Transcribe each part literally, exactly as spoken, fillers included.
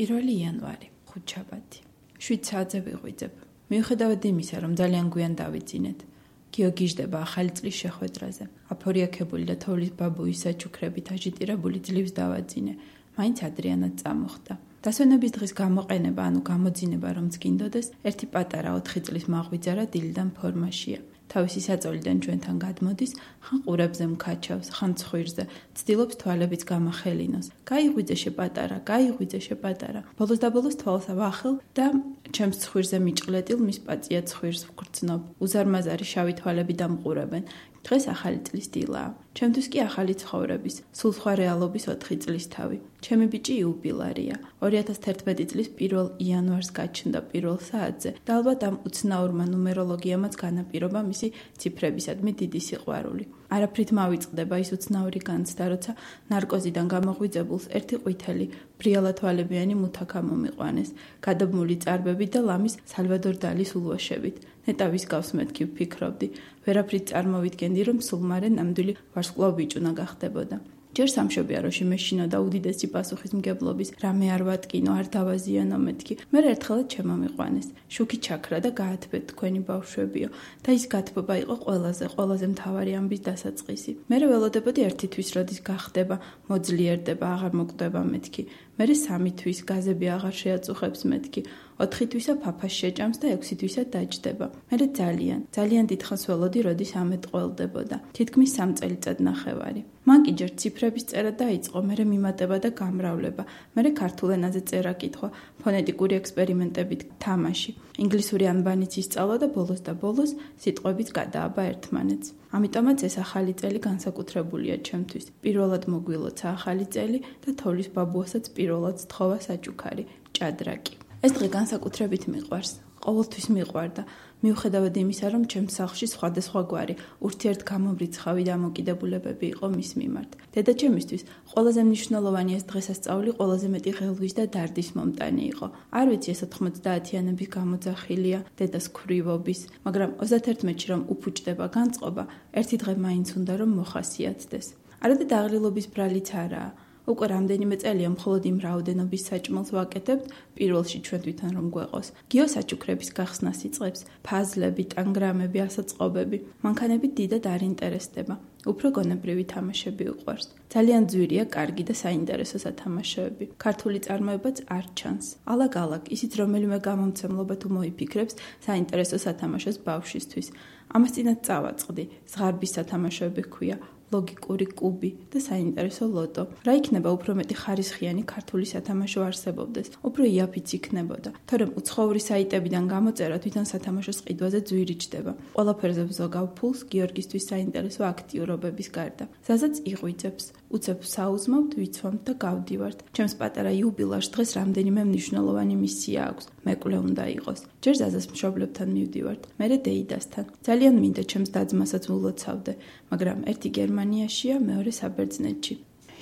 პირველი იანვარი, ხუთშაბათი. შვიდ საათზე ვიღვიძებ. მიუხედავად იმისა, რომ ძალიან გვიან დავიძინეთ, გიო გიждდება ახალი წლის შეხვედრაზე. აფორიაქებული და თოვლის ბაბუის საჩუქრებით აჟიტირებული ძლივს დავაძინე. მაინც ადრიანად წამოხდა. დასვენების დღის გამოყენება, ანუ გამოძინება რომც გინდოდეს, ერთი პატარა ოთხი წლის მაღვიძარა დილიდან ფორმაშია. თავისი საწოლიდან ჩვენთან გადმოდის, ხან ყურებზე მკაჩავს, ხან ცხვირზე, ცდილობს თვალებიც გამახელინოს. გაიღვიძე შეპატარა, გაიღვიძე შეპატარა. ბოლოს და ბოლოს თვალს ავახელ და ჩემს ცხვირზე მიჭყლეტილ მის პაწია ცხვირს ვგრძნობ. უზარმაზარი შავი თვალები დამყურებენ. დღეს ახალი წლის დილაა. ჩემთვის კი ახალი ცხოვრების, სულ სხვა რეალობის ოთხი წლის თავი. ჩემი ბიჭი იუბილარია. ორი ათას თერთმეტი წლის პირველ იანვარს გაჩნდა პირველ საათზე და ალბათ ამ უცნაურმა ნუმეროლოგიამაც განაპირობა მისი ციფრებისადმი დიდი სიყვარული. არაფრით მავიწყდება ის უცნაური განცდა, როცა ნარკოზიდან გამოღვიძებულს ერთი ყვითელი, ბრიალათვალებიანი მუთაქა მომიყვანეს, გადაბმული წარბებით და ლამის სალვადორ დალის ულვაშებით. ნეტავის გავს მეთქი ვფიქრობდი, ვერაფრით წარმოვიდგენდი, რომ სულ მარე ნამდვილი ვარსკვლავ ბიჭუნა გახდებოდა. ჯერ სამშობია რო შემეშინოდა უდიდესი პასუხისმგებლობის, რამე არ ვატკინო, არ დავაზიანო მეთქი. მე ერთხელაც შემომიყვანეს. შუქი ჩაქრა და გაათბეთ თქვენი ბავშვებიო და ის გათბობა იყო ყველაზე, ყველაზე მთავარი ამბის დასაწყისი. მე ველოდებოდი ერთი თვის როდის გახდება, მოძლიერდება, აღარ მოკვდება მეთქი. მე სამი თვის გაზები აღარ შეაწუხებს მეთქი. ოთხი თვისა ფაფას შეჭამს და ექვსი თვისა დაჯდება. მე ძალიან, ძალიან დიდხანს ველოდი, როდის ამეთ ყველდებოდა. თითქმის სამ წელიწად ნახევარი. მან კი ჯერ ციფრების წერა დაიწყო, მერე მიმატება და გამრავლება, მერე ქართულ ენაზე წერა კითხვა, ფონეტიკური ექსპერიმენტებით თამაში, ინგლისური ანბანიც ისწავლა და ბოლოს და ბოლოს სიტყვებიც გადააბა ერთმანეთს. ამიტომაც ეს ახალი წელი განსაკუთრებულია ჩემთვის. პირველად მოგვილოცა ახალი წელი და თოვლის ბაბუასაც პირველად სთხოვა საჩუქარი, ჭადრაკი. ეს დღე განსაკუთრებით მიყვარს. ყოველთვის მიყვარდა. მიუხედავად იმისა, რომ ჩემს სახლში სხვადასხვაგვარი ურთიერთგამომრიცხავი დამოკიდებულებები იყო მის მიმართ. დედაჩემისთვის ყველაზე მნიშვნელოვანი ეს დღესასწაული ყველაზე მეტი ღელვის და დარდის მომტანი იყო. არ ვიცი ეს ოთხმოცდაათიანების გამოძახილია დედას ქვრივობის, მაგრამ ოცდათერთმეტში რომ უფუჭდება განწყობა, ერთი დღე მაინც უნდა რომ მოხასიათდეს. არადა დაღლილობის ბრალიც არაა. უკვე რამდენიმე წელია მხოლოდ იმ რაოდენობის საჭმელს ვაკეთებთ, პირველში ჩვენ თვითონ რომ გვეყოს. გიო საჩუქრების გახსნას იწყებს, ფაზლები, ტანგრამები, ასაწყობები. მანქანები დიდად არ ინტერესდება. უფრო გონებრივი თამაშები უყვარს. ძალიან ძვირია, კარგი და საინტერესო სათამაშოები. ქართული წარმოებაც არ ჩანს. ალაგ-ალაგ, ისიც რომელიმე გამომცემლობა თუ მოიფიქრებს საინტერესო სათამაშოს ბავშვისთვის. ამას წინათ წავაწყდი, ზღარბის სათამაშოები ქვია. ლოგიკური კუბი და საინტერესო ლოტო. რა იქნება უფრო მეტი ხარისხიანი ქართული სათამაშო არსებობდეს, უფრო იაფიც იქნებოდა. თორემ უცხოური საიტებიდან გამოწერა თვითონ სათამაშოს ყიდვაზე ძვირი ჯდება. ყველაფერზე ვზოგავ ფულს გიორგისთვის საინტერესო აქტიურობების გარდა. ზაზაც იღვიძებს, უცებ საუზმავთ, ვიცვამთ და გავდივართ. ჩემს პატარა იუბილარს დღეს რამდენიმე მნიშვნელოვანი მისია აქვს. მეკლე უნდა იყოს. ჯერ ზაზას მშობლებთან მივდივართ, მერე დეიდასთან. ძალიან მინდა ჩემს დაძმასაც ულოცავდე, მაგრამ ერთი გერმანიაშია, მეორე საბერძნეთში.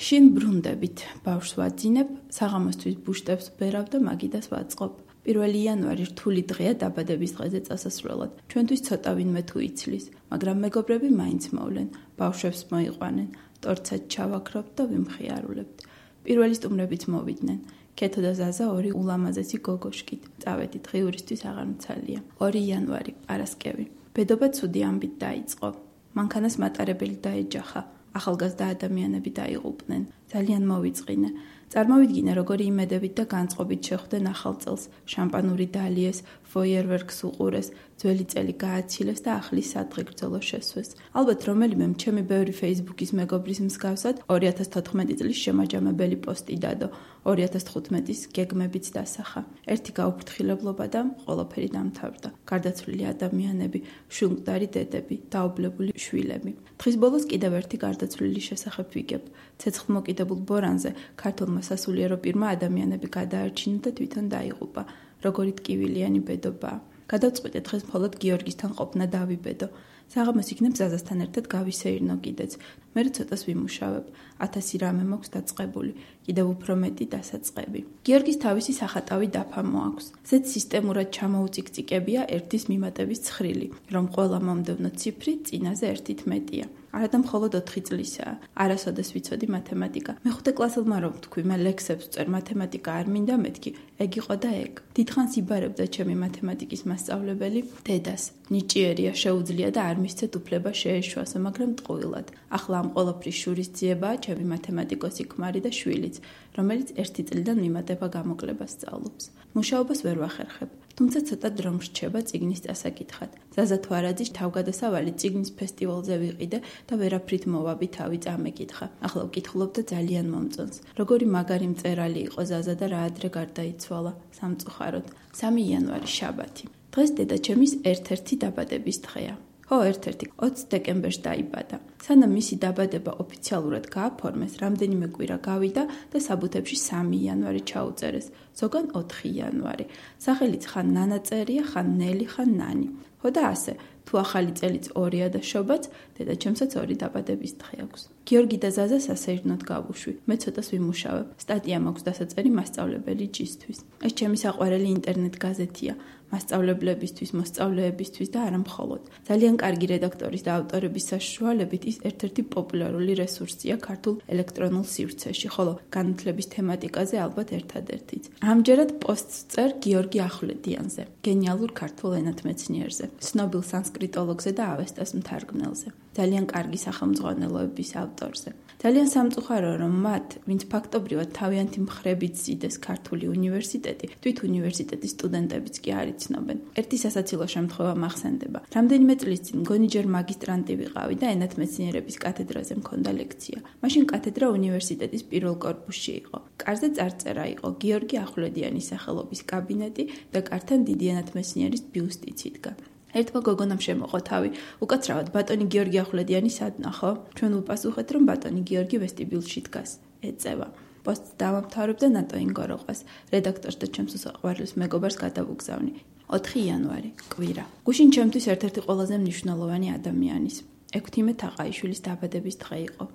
შინ ბრუნდებით, ბავშვს ვაძინებ, საღამოსთვის ბუშტებს ვბერავ და მაგიდას ვაწყობ. პირველი იანვარი რთული დღეა დაბადების დღეზე წასასვლელად. ჩვენთვის ცოტა ვინმე თუ იცლის, მაგრამ მეგობრები მაინც მოვლენ, ბავშვებს მოიყვანენ, ტორცად ჩავაქრობთ და ვიმხიარულებთ. პირველი სტუმრებიც მოვიდნენ. ქეთო და ზაზა ორი ულამაზესი გოგოშკით. წავედით, ღიურისთვის აღარ მცალია. ორი იანვარი, პარასკევი. ბედობა ცუდი ამბით დაიწყო. მანქანას მატარებელი დაეჯახა. ახალგაზრდა ადამიანები დაიღუპნენ. ძალიან მოვიწყინე. წარმოვიდგინე, როგორი იმედებით და განწყობით შეხვდნენ ახალ წელს. შამპანური დალიეს, ფოიერვერკს უყურეს, ძველი წელი გააცილეს და ახლის სადღე გრძელო შესვეს. ალბათ რომელიმე ჩემი ბევრი Facebook-ის მეგობრის მსგავსად ორი ათას თოთხმეტი წლის შემაჯამებელი პოსტი დადო. ორი ათას თხუთმეტის გეგმებიც დასახა. ერთი გაუფრთხილებლობა და ყველაფერი დამთავრდა. გარდაცვლილი ადამიანები, შუნკვდარი დედები, დაობლებული შვილები. დღის ბოლოს კიდევ ერთი გარდაცვლილი შესახებ ვიგებ. ცეცხლმოკიდებულ ბორანზე ქართულმა სასულიერო პირმა ადამიანები გადაარჩინა და თვითონ დაიღუპა. როგორი ტკივილიანი ბედობაა. გადავწყვიტე დღეს მხოლოდ გიორგისთან ყოფნა დავიბედო. საღამოს იქნებ ზაზასთან ერთად გავისეირნო კიდეც. მე ცოტას ვიმუშავებ, ათასი რამე მაქვს დაწყებული, კიდევ უფრო მეტი დასაწყები. გიორგის თავისი სახატავი დაფა მოაქვს. ზედ სისტემურად ჩამოუწიკწიკებია ერთის მიმატების ცხრილი, რომ ყველა მომდევნო ციფრი წინაზე ერთით მეტია. არადა მხოლოდ ოთხი წლისაა. არასოდეს ვიცოდი მათემატიკა. მეხუთე კლასელმა რომ ვთქვი, მე ლექსებს ვწერ, მათემატიკა არ მინდა მეთქი. ეგ იყო და ეგ. დიდხანს იბარებდა ჩემი მათემატიკის მასწავლებელი დედას. ნიჭიერია, შეუძლია და არ მისცეთ უფლება შეეშვასო, მაგრამ ტყუილად. ახლა ამ ყოველფრის შურისძიებაა ჩემი მათემატიკოსი ქმარი და შვილიც, რომელიც ერთი წლიდან მიმატება გამოკლებას სწავლობს. მუშაობას ვერ ვახერხებ. თუმცა ცოტა დრო მრჩება წიგნის დასაკითხად. ზაზა თვარაძის თავგადასავალი წიგნის ფესტივალზე ვიყიდე და ვერაფრით მოვაბი თავი წამეკითხა. ახლა ვკითხულობ და ძალიან მომწონს. როგორი მაგარი მწერალი იყო ზაზა და რა ადრე გარდაიცვალა, სამწუხაროდ. სამი იანვარი შაბათი. დღეს დედაჩემის ერთ-ერთი დაბადების დღეა. ხო, ერთ-ერთი ოცი დეკემბერს დაიბადა. სანამ მისი დაბადება ოფიციალურად გააფორმეს, რამდენიმე კვირა გავიდა და საბუთებში სამი იანვარი ჩაუწერეს, ზოგან ოთხი იანვარი. სახელიც ხან ნანა წერია, ხან ნელი, ხან ნანი. ხო და ასე, თუ ახალი წელიც ორია და შობაც, დედაჩემსაც ორი დაბადების დღე აქვს. გიორგი და ზაზა სასეირნოდ გავუშვი. მე ცოტას ვიმუშავებ. სტატია მაქვს დასაწერი მასწავლებელი ჯისთვის. ეს ჩემი საყვარელი ინტერნეტ გაზეთია. მასწავლებლებისთვის, მოსწავლეებისთვის და არა მხოლოდ. ძალიან კარგი რედაქტორის და ავტორების საშუალებით ის ერთ-ერთი პოპულარული რესურსია ქართულ ელექტრონულ სივრცეში, ხოლო განათლების თემატიკაზე ალბათ ერთადერთიც. ამჯერად პოსტს წერ გიორგი ახვლედიანზე, გენიალურ ქართულ ენათმეცნიერზე, ცნობილ სანსკრიტოლოგზე და ავესტას მთარგმნელზე, ძალიან კარგი სახელმძღვანელოების ავტორზე. ძალიან სამწუხაროა, რომ მათ, ვინც ფაქტობრივად თავიანთი მხრებით ზიდეს ქართული უნივერსიტეტი, თვით უნივერსიტეტის სტუდენტებიც კი არ იცნობენ. ერთი სასაცილო შემთხვევა მახსენდება. რამდენიმე წლის წინ მგონი ჯერ მაგისტრანტი ვიყავი და ენათმეცნიერების კათედრაზე მქონდა ლექცია. მაშინ კათედრა უნივერსიტეტის პირველ კორპუსში იყო. კარზე წარწერა იყო გიორგი ახვლედიანის სახელობის კაბინეტი და კართან დიდი ენათმეცნიერის ბიუსტიც იდგა. ერთმა გოგონამ შემოყო თავი. უკაცრავად ბატონი გიორგი ახვლედიანი სადნა ხო? ჩვენ ვუპასუხეთ, რომ ბატონი გიორგი ვესტიბიულში დგას. ეწევა. პოსტს დავამთავრებ და ნატოინ გოროყვას. რედაქტორს და ჩემს საყვარლის მეგობარს გადავუგზავნი. ოთხი იანვარი, კვირა. გუშინ ჩემთვის ერთ-ერთი ყველაზე მნიშვნელოვანი ადამიანის, ექვთიმე თაყაიშვილის დაბადების დღე იყო.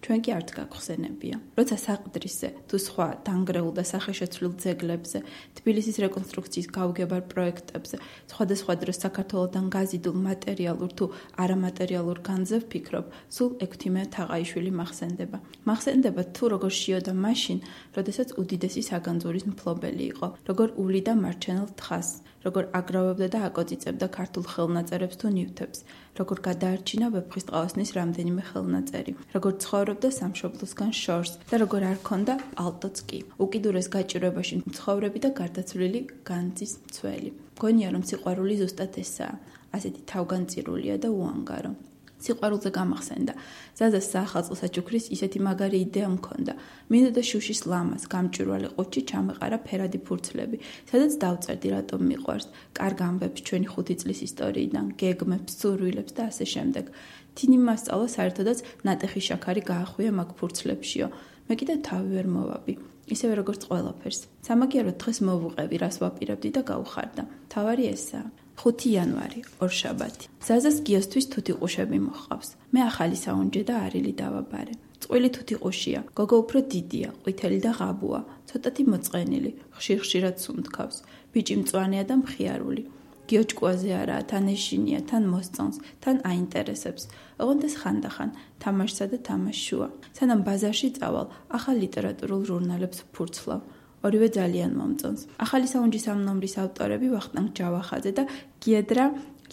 ჩვენ კი არც გაგხსენებია. როცა საყდრისზე, თუ სხვა დანგრეულ და სახეშეცვლილ ძეგლებზე, თბილისის რეკონსტრუქციის გაუგებარ პროექტებზე, სხვადასხვა დროს საქართველოდან გაზიდულ მატერიალურ თუ არამატერიალურ განძზე ვფიქრობ, სულ ექვთიმე თაყაიშვილი მახსენდება. მახსენდება თუ როგორ შიოდა მაშინ, როდესაც უდიდესი საგანძურის მფლობელი იყო, როგორ უვლიდა მარჩენელ თხას, როგორ აგროვებდა და აკოწიწებდა ქართულ ხელნაწერებს თუ ნივთებს, როგორ გადაარჩინა ვეფხის ტყაოსნის რამდენიმე ხელნაწერი, როგორ ცხოვრობდა სამშობლოსგან შორს და როგორ არ ქონდა პალტოც კი. უკიდურეს გაჭირვებაში მცხოვრები და გარდაცვლილი განძის მცველი. მგონია, რომ სიყვარული ზუსტად ესაა, ასეთი თავგანწირულია და უანგარო. სიყვარულზე გამახსენდა. ზაზას საახალწლო საჩუქრის ისეთი მაგარი იდეა მქონდა. მინდოდა შუშის ლამას, გამჭვირვალე ყუთში ჩამეყარა ფერადი ფურცლები, სადაც დავწერდი რატომ მიყვარს, კარგ ამბებს ჩვენი ხუთი წლის ისტორიიდან, გეგმებს, სურვილებს და ასე შემდეგ. თინი მასწავლა საერთოდაც ნატეხი შაქარი გაახვია მაგ ფურცლებშიო. მე კიდევ თავი ვერ მოვაბი. ისევე როგორც ყველაფერს. სამაგიეროდ დღეს მოვუყევი, რას ვაპირებდი და გაუხარდა. თავარი ესაა. ხუთი იანვარი, ორშაბათი. ზაზას გიოსთვის თუთიყუშები მოჰყავს. მე ახალი საუნჯე და არილი დავაბარე. წყვილი თუთიყუშია, გოგო უფრო დიდია, ყვითელი და ღაბუა, ცოტათი მოწყენილი, ხშირ-ხშირად სუნთქავს. ბიჭი მწვანეა და მხიარული. გიოჭკუაზე არაა, თან ეშინია, თან მოსწონს, თან აინტერესებს. ოღონდ ეს ხანდახან, თამაშსა და თამაშშუა. სანამ ბაზარში წავალ, ახალ ლიტერატურულ ჟურნალებს ვფურცლავ. ორივე ძალიან მომწონს. ახალი საუნჯის ამ ნომრის ავტორები ვახტანგ ჯავახაძე და გიედრა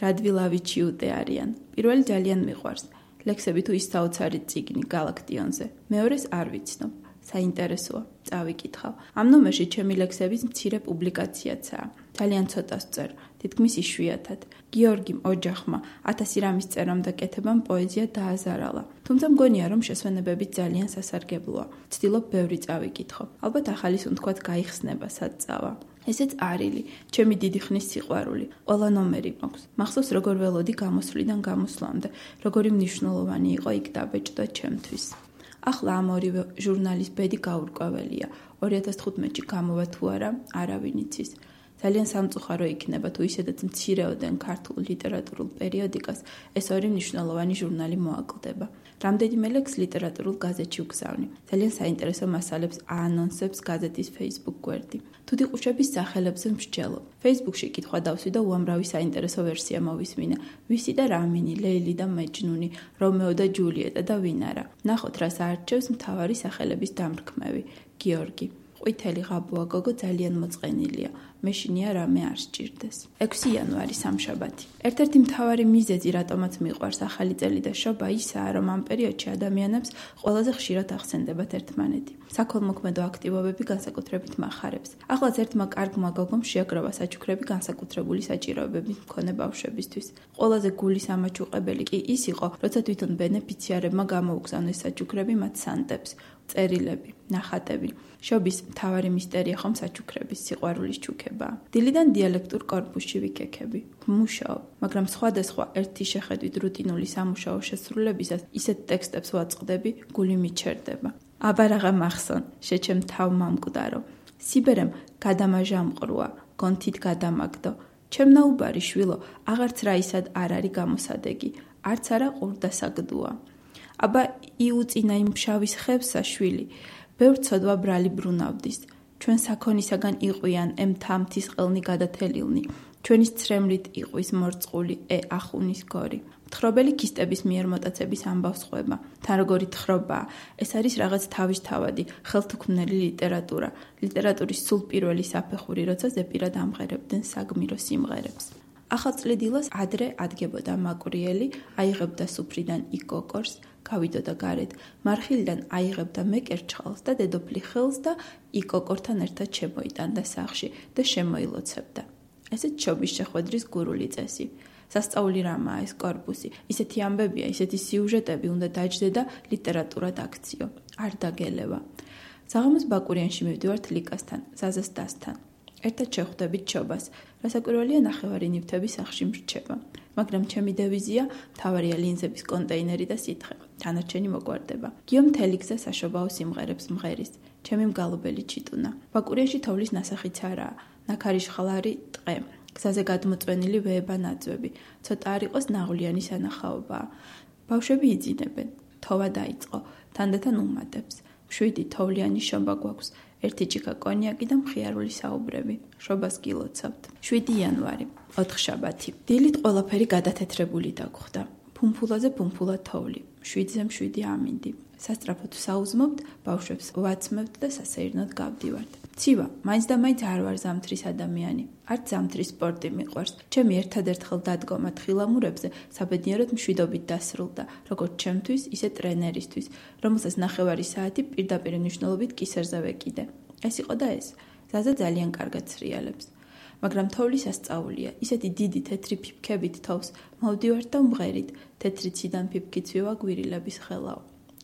რადვილავიჩიუტე არიან. პირველი ძალიან მიყვარს. ლექსები თუ ის საოცარი წიგნი გალაქტიონზე. მეორეს არ ვიცნობ. საინტერესოა, წავიკითხავ. ამ ნომერში ჩემი ლექსების მცირე პუბლიკაციაცაა. ძალიან ცოტას წერ, თითქმის იშვიათად. გიორგიმ ოჯახმა ათასი რამის წერამ და კეთებამ პოეზია დააზარალა. თუმცა მგონია, რომ შესვენებები ძალიან სასარგებლოა. ცდილობ ბევრი წავიკითხო. ალბათ ახალი სუნთქვათ გაიხსნება, სად წავა. ესეც არილი, ჩემი დიდი ხნის სიყვარული. ყველა ნომერი მაქვს. მახსოვს როგორ ველოდი გამოსვლიდან გამოსვლამდე, როგორი მნიშვნელოვანი იყო იქ დაბეჭდა ჩემთვის. ახლა ამ ორივე ჟურნალის ბედი გაურკვეველია. ორი ათას თხუთმეტში გამოვა თუ არა, არავინ იცის. ძალიან სამწუხარო იქნება თუ ისედაც მცირეოდენ ქართულ ლიტერატურულ პერიოდიკას ეს ორი მნიშვნელოვანი ჟურნალი მოაკლდება. რამდენიმე ლექს ლიტერატურულ გაზეთში ვგზავნი. ძალიან საინტერესო მასალებს აანონსებს გაზეთის Facebook გვერდი. თუთიყუშების სახელებზე მსჯელობ. Facebook-ში კითხვა დავსვი და უამრავი საინტერესო ვერსია მოვისმინე. ვისი და რამინი, ლეილი და მეჯნუნი, რომეო და ჯულიეტა და ვინ არა. ნახოთ, რას აარჩევს მთავარი სახელების დამრქმევი. გიორგი. ყვითელი ღაბუა გოგო ძალიან მოწყენილია. მეშინია რამე არ სჭირდეს. ექვსი იანვარი სამშაბათი. ერთ-ერთი მთავარი მიზეზი, რატომაც მიყვარს ახალი წელი და შობა, ისაა, რომ ამ პერიოდში ადამიანებს ყველაზე ხშირად ახსენდებათ ერთმანეთი. საქველმოქმედო აქტივობები განსაკუთრებით მახარებს. ახლაც ერთმა კარგმა გოგომ შეაგროვა საჩუქრები განსაკუთრებული საჭიროებების მქონე ბავშვებისთვის. ყველაზე გულის ამაჩუყებელი კი ის იყო, როცა თვითონ ბენეფიციარებმა გამოუგზავნეს საჩუქრები მათ სანტებს. წერილები, ნახატები. შობის მთავარი მისტერია ხომ საჩუქრების სიყვარულის ჩუქებაა. დილიდან დიალექტურ კორპუსში ვიქექები. ვმუშაობ, მაგრამ სხვადასხვა ერთი შეხედვით რუტინული სამუშაო შესრულებისას ისეთ ტექსტებს ვაწყდები, გული მიჩერდება. აბარაღა მახსონ, შეჩემ თავ მამკვდარო. სიბერემ გადამაჟამყრუა, გონთით გადამაგდო. ჩემ ნაუბარი შვილო, აღარც რაისად არ არის გამოსადეგი, არც არა ყურდასაგდუა. აბა იუწინა იმ ფშავის ხევსა შვილი, ბევრ ცოდვა ბრალი ბრუნავდის. ჩვენ საქონისაგან იყვიან ემ თამთის ყელნი გადათელილნი, ჩვენის ცრემლით იყვის მორწყული ე ახუნის გორი. მთხრობელი ქისტების მიერ მოტაცების ამბავს ყვება. თან როგორი თხრობაა, ეს არის რაღაც თავისთავადი, ხელთუქმნელი ლიტერატურა, ლიტერატურის სულ პირველი საფეხური, როცა ზეპირად ამღერებდნენ საგმირო სიმღერებს. ახალწლედილას ადრე ადგებოდა მაკვრიელი, აიღებდა სუფრიდან იკოკორს, გავიდოდა გარეთ, მარხილიდან აიღებდა მეკერჩხალს და დედოფლი ხელს და იკოკორთან ერთად შემოიტანდა სახლში და შემოილოცებდა. ესეც შობის შეხვედრის გურული წესი. სასწაული რამაა ეს კორპუსი, ისეთი ამბებია, ისეთი სიუჟეტები უნდა დაჯდე და ლიტერატურად აქციო, არ დაგელევა. საღამოს ბაკურიანში მივდივართ ლიკასთან, ზაზას დასთან. ერთად შევხვდებით შობას, რასაკვირველია ნახევარი ნივთები სახლში მრჩება, მაგრამ ჩემი დევიზია მთავარია ლინზების კონტეინერი და სითხე, თანარჩენი მოგვარდება. გიო მთელი გზა საშობაო სიმღერებს მღერის, ჩემი მგალობელი ჩიტუნა. ბაკურიაში თოვლის ნასახიც არაა, ნაქარიშხალარი ტყე, გზაზე გადმოწვენილი ვეება ნაძვები, ცოტა არ იყოს ნაღვლიანი სანახაობაა. ბავშვები იძინებენ, თოვა დაიწყო, თანდათან უმატებს. შვიდი თოვლიანი შობა გვაქვს. ერთი ჭიქა კონიაკი და მხიარული საუბრები. შობას გილოცავთ. შვიდი იანვარი, ოთხშაბათი. დილით ყველაფერი გადათეთრებული დაგხვდა. ფუმფულაზე ფუმფულა თოვლი. შვიდზე მშვიდი ამინდი. სასტრაფოდ საუზმობთ, ბავშვებს ვაცმევთ და სასეირნოდ გავდივართ. ცივა, მაინც და მაინც არ ვარ ზამთრის ადამიანი. არც ზამთრის სპორტი მიყვარს. ჩემი ერთადერთხელ დადგომა თხილამურებზე საბედნიეროდ მშვიდობით დასრულდა, როგორც ჩემთვის, ისე ტრენერისთვის, რომელსაც ნახევარი საათი პირდაპირ მნიშვნელობით კისერზე ვეკიდე. ეს იყო და ეს. ზაზა ძალიან კარგად ცრიალებს. მაგრამ თოვლის ასწაულია, ისეთი დიდი თეთრი ფიფქებით თოვს, მოვდივართ და ვმღერით, თეთრი ციდან ფიფქიც ვიواგვირილების ხელაო.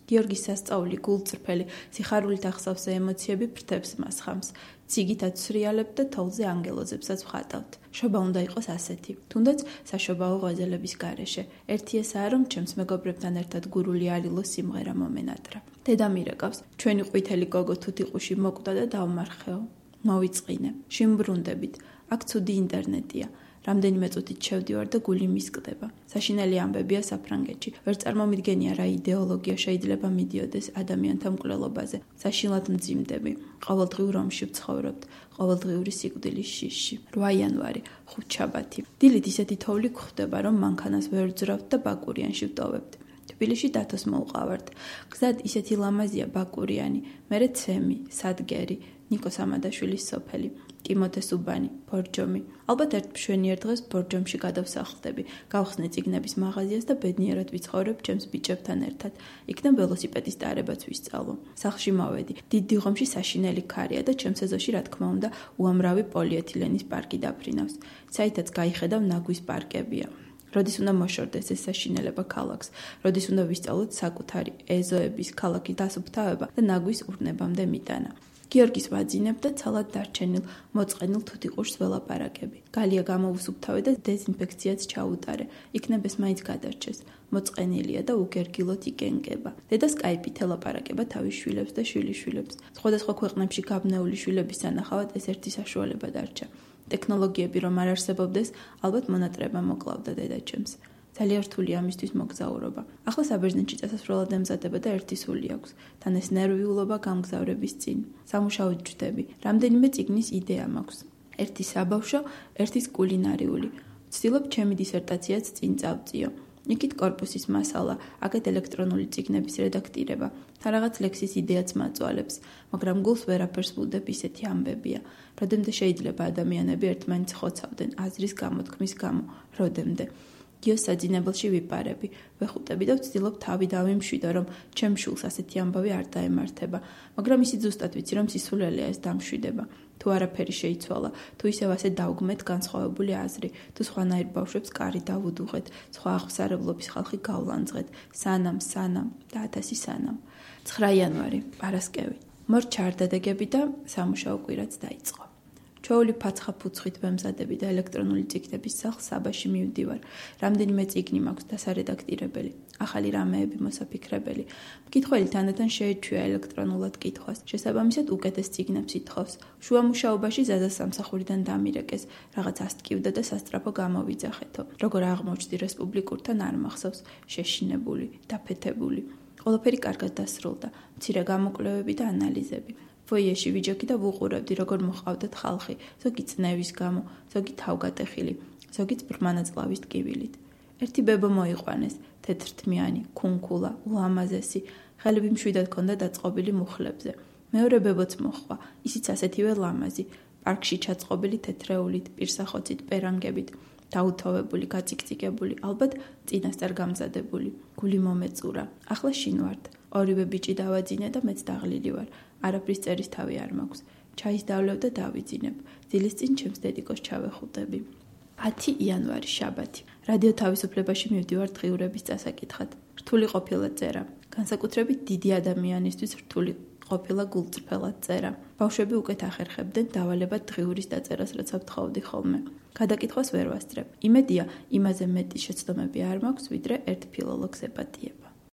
გიორგის სასწაული გულწრფელი, სიხარულით ახსავსე ემოციები ფრთებს მას ხამს. ციგითაც ცრიალებთ და თოვლზე ანგელოზებსაც ვხატავთ. შობა უნდა იყოს ასეთი, თუნდაც საშობაო ღვაწლების გარეშე. ერთი ესაა, რომ ჩემს მეგობრებთან ერთად გურული არილო სიმღერა მომენატრა. დედა მირეკავს, ჩვენი ყვითელი გოგო თუთიყუში მოკვდა და დავმარხეო. მოვიწყინე, შიმბრუნდებით, აქ ცუდი ინტერნეტია. რამდენიმე წუთით შევდივარ და გული მისკდება. საშინელი ამბებია საფრანგეთში. ვერ წარმომიდგენია რა იდეოლოგია შეიძლება მიდიოდეს ადამიანთა მკვლელობაზე. საშინლად მძიმდები. ყოველდღიურ რომში ვცხოვრობთ. ყოველდღიური სიკვდილის შიშში. რვა იანვარი, ხუთშაბათი. დილით ისეთი თოვლი გვხვდება, რომ მანქანას ვერ ვძრავთ და ბაკურიანში ვტოვებთ. თბილისში დათოს მოვყავართ. გზად ისეთი ლამაზია ბაკურიანი, მერე ცემი, სადგერი, ნიკო სამადაშვილის სოფელი. ტიმოთე სუბანი, ბორჯომი. ალბათ ერთ მშვენიერ დღეს ბორჯომში გადავსახლდები, გავხსნე წიგნების მაღაზიას და ბედნიერად ვიცხოვრებ ჩემს ბიჭებთან ერთად. იქნებ ველოსიპედის ტარებაც ვისწავლო. სახლში მოვედი. დიდ დიღომში საშინელი ქარია და ჩემს ეზოში, რა თქმა უნდა, უამრავი პოლიეთილენის პარკი დაფრინავს. საითაც გაიხედავ ნაგვის პარკებია. როდის უნდა მოშორდეს ეს საშინელება ქალაქს, როდის უნდა ვისწავლოთ საკუთარი ეზოების ქალაქის დასუფთავება და ნაგვის ურნებამდე მიტანა. გიორგის ვაძინებ და ცალად დარჩენილ მოწყენილ თუთიყუშს ველაპარაკები. გალია გამოუსუფთავე და დეზინფექციაც ჩაუტარე. იქნებ ეს მაინც გადარჩეს. მოწყენილია და უგერგილოთ იკენკება. დედა სკაიპით ელაპარაკება თავის შვილებს და შვილიშვილებს. სხვადასხვა ქვეყნებში გაბნეული შვილების სანახავად ეს ერთი საშუალება დარჩა. ტექნოლოგიები რომ არ არსებობდეს, ალბათ მონატრება მოკლავდა დედაჩემს. ძალიან რთული ამისთვის მოგზაურობა. ახლა საბერძნეთში წასასვლელად ემზადება და ერთი სული აქვს. თან ეს ნერვიულობა გამგზავრების წინ. სამუშაოდ ჯდები. რამდენიმე წიგნის იდეა მაქვს. ერთი საბავშვო, ერთის კულინარიული. ვცდილობ ჩემი დისერტაციაც წინ წავწიო. იქით კორპუსის მასალა, აქეთ ელექტრონული წიგნების რედაქტირება, თან რაღაც ლექსის იდეაც მაწვალებს, მაგრამ გულს ვერაფერს ვუდებ, ისეთი ამბებია. როდემდე შეიძლება ადამიანები ერთმანეთს ხოცავდნენ, აზრის გამოთქმის გამო, როდემდე. გიოს საძინებელში ვიპარები, ვეხუტები და ვცდილობ თავი დავიმშვიდო, რომ ჩემ შულს ასეთი ამბავი არ დაემართება, მაგრამ ისიც ზუსტად ვიცი, რომ სისულელეა ეს დამშვიდება. თუ არაფერი შეიცვალა, თუ ისევ ასე დავგმეთ განსხვავებული აზრი, თუ სხვანაირ ბავშვებს კარი დავუდუღეთ, სხვა აღმსარებლობის ხალხი გავლანძღეთ, სანამ, სანამ და ათასი სანამ. ცხრა იანვარი, პარასკევი. მორ ჩაარდადეგები და სამუშაო კვირაც დაიწყო. ჩვეული ფაცხა ფუცხით ვემზადები და ელექტრონული წიგნების სახლ საბაში მივდივარ. რამდენიმე წიგნი მაქვს დასარედაქტირებელი, ახალი რამეები მოსაფიქრებელი. მკითხველი თანდათან შეეჩვია ელექტრონულად კითხვას. შესაბამისად უკეთეს წიგნებს ითხოვს. შუა მუშაობაში ზაზა სამსახურიდან დამირეკეს, რაღაც ასტკივდა და სასწრაფო გამოვიძახეთო. როგორ აღმოჩნდი რესპუბლიკურთან არ მახსოვს, შეშინებული, დაფეთებული. ყველაფერი კარგად დასრულდა, მცირე გამოკვლევები და ანალიზები. ფოიეში ვიჯექი და ვუყურებდი, როგორ მოჰყავდათ ხალხი, ზოგი წნევის გამო, ზოგი თავგატეხილი, ზოგიც ბრმანაწლავის ტკივილით. ერთი ბებო მოიყვანეს, თეთრთმიანი, ქუნქულა, ულამაზესი, ხელები მშვიდად ჰქონდა დაწყობილი მუხლებზე. მეორე ბებოც მოჰყვა, ისიც ასეთივე ლამაზი, პარკში ჩაწყობილი თეთრეულით, პირსახოცით, პერანგებით, დაუთოვებული, გაწიკწიკებული, ალბათ წინასწარ გამზადებული. გული მომეწურა. ახლა შინ ვართ. ორივე ბიჭი დავაძინე და მეც დაღლილი ვარ. არაფრის წერის თავი არ მაქვს. ჩაის დავლევ და დავიძინებ. დილის წინ ჩემს დედიკოს ჩავეხუტები. ათი იანვარი, შაბათი. რადიო თავისუფლებაში მივდივარ დღიურების წასაკითხად. რთული ყოფილა წერა. განსაკუთრებით დიდი ადამიანისთვის რთული ყოფილა გულწრფელად წერა. ბავშვები უკეთ ახერხებდნენ დავალებად დღიურის დაწერას, როცა ვთხოვდი ხოლმე. გადაკითხვას ვერ ვასწრებ. იმედია, იმაზე მეტი შეცდომები არ მაქვს, ვიდრე ერთ ფილოლოგს ეპატიება.